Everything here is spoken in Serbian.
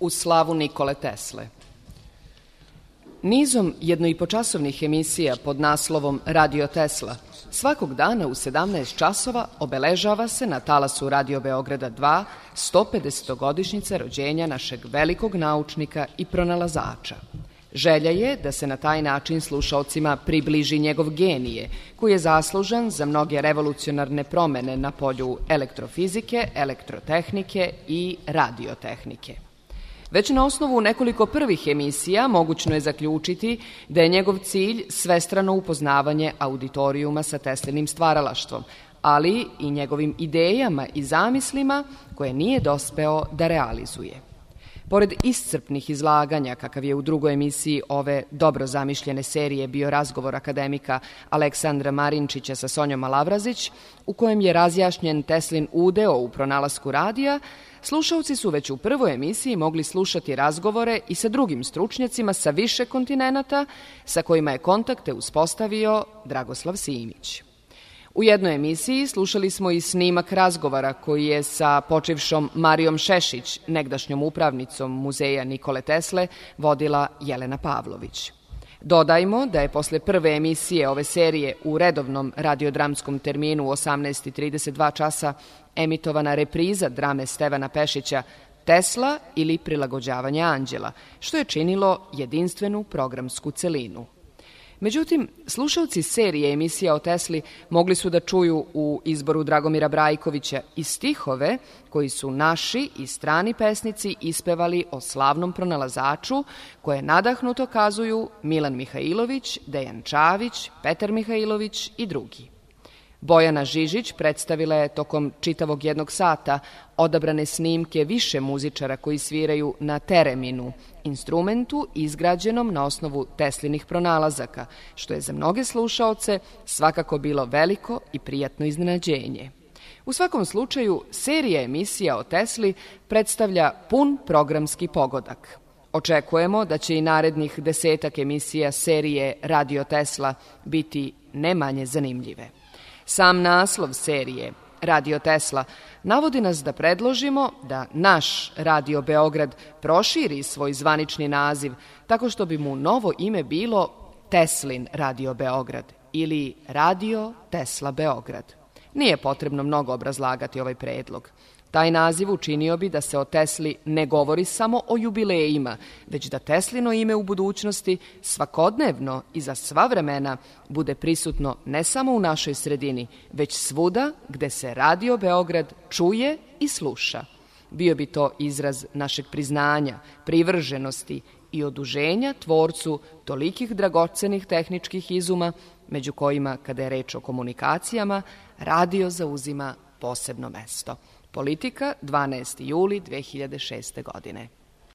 U slavu Nikole Tesle. Nizom jednoipočasovnih emisija pod naslovom Radio Tesla svakog dana u 17 časova obeležava se na talasu Radio Beograda 2 150-godišnjica rođenja našeg velikog naučnika i pronalazača. Želja je da se na taj način slušaocima približi njegov genije, koji je zaslužan za mnoge revolucionarne promene na polju elektrofizike, elektrotehnike i radiotehnike. Već na osnovu nekoliko prvih emisija mogućno je zaključiti da je njegov cilj svestrano upoznavanje auditorijuma sa Teslinim stvaralaštvom, ali i njegovim idejama i zamislima koje nije dospeo da realizuje. Pored iscrpnih izlaganja, kakav je u drugoj emisiji ove dobro zamišljene serije bio razgovor akademika Aleksandra Marinčića sa Sonjom Alavrazić, u kojem je razjašnjen Teslin udeo u pronalasku radija, slušaoci su već u prvoj emisiji mogli slušati razgovore i sa drugim stručnjacima sa više kontinenata sa kojima je kontakte uspostavio Dragoslav Simić. U jednoj emisiji slušali smo i snimak razgovora koji je sa počivšom Marijom Šešić, negdašnjom upravnicom muzeja Nikole Tesle, vodila Jelena Pavlović. Dodajmo da je posle prve emisije ove serije u redovnom radiodramskom terminu u 18:32 časa emitovana repriza drame Stevana Pešića Tesla ili prilagođavanje anđela, što je činilo jedinstvenu programsku celinu. Međutim, slušalci serije emisija o Tesli mogli su da čuju u izboru Dragomira Brajkovića i stihove koji su naši i strani pesnici ispevali o slavnom pronalazaču koje nadahnuto kazuju Milan Mihajlović, Dejan Čavić, Petar Mihajlović i drugi. Bojana Žižić predstavila je tokom čitavog jednog sata odabrane snimke više muzičara koji sviraju na tereminu, instrumentu izgrađenom na osnovu Teslinih pronalazaka, što je za mnoge slušaoce svakako bilo veliko i prijatno iznenađenje. U svakom slučaju, serija emisija o Tesli predstavlja pun programski pogodak. Očekujemo da će i narednih 10 emisija serije Radio Tesla biti ne manje zanimljive. Sam naslov serije Radio Tesla navodi nas da predložimo da naš Radio Beograd proširi svoj zvanični naziv tako što bi mu novo ime bilo Teslin Radio Beograd ili Radio Tesla Beograd. Nije potrebno mnogo obrazlagati ovaj predlog. Taj naziv učinio bi da se o Tesli ne govori samo o jubilejima, već da Teslino ime u budućnosti svakodnevno i za sva vremena bude prisutno ne samo u našoj sredini, već svuda gde se Radio Beograd čuje i sluša. Bio bi to izraz našeg priznanja, privrženosti i oduženja tvorcu tolikih dragocenih tehničkih izuma, među kojima, kada je reč o komunikacijama, radio zauzima posebno mesto. Politika, 12. juli 2006. godine.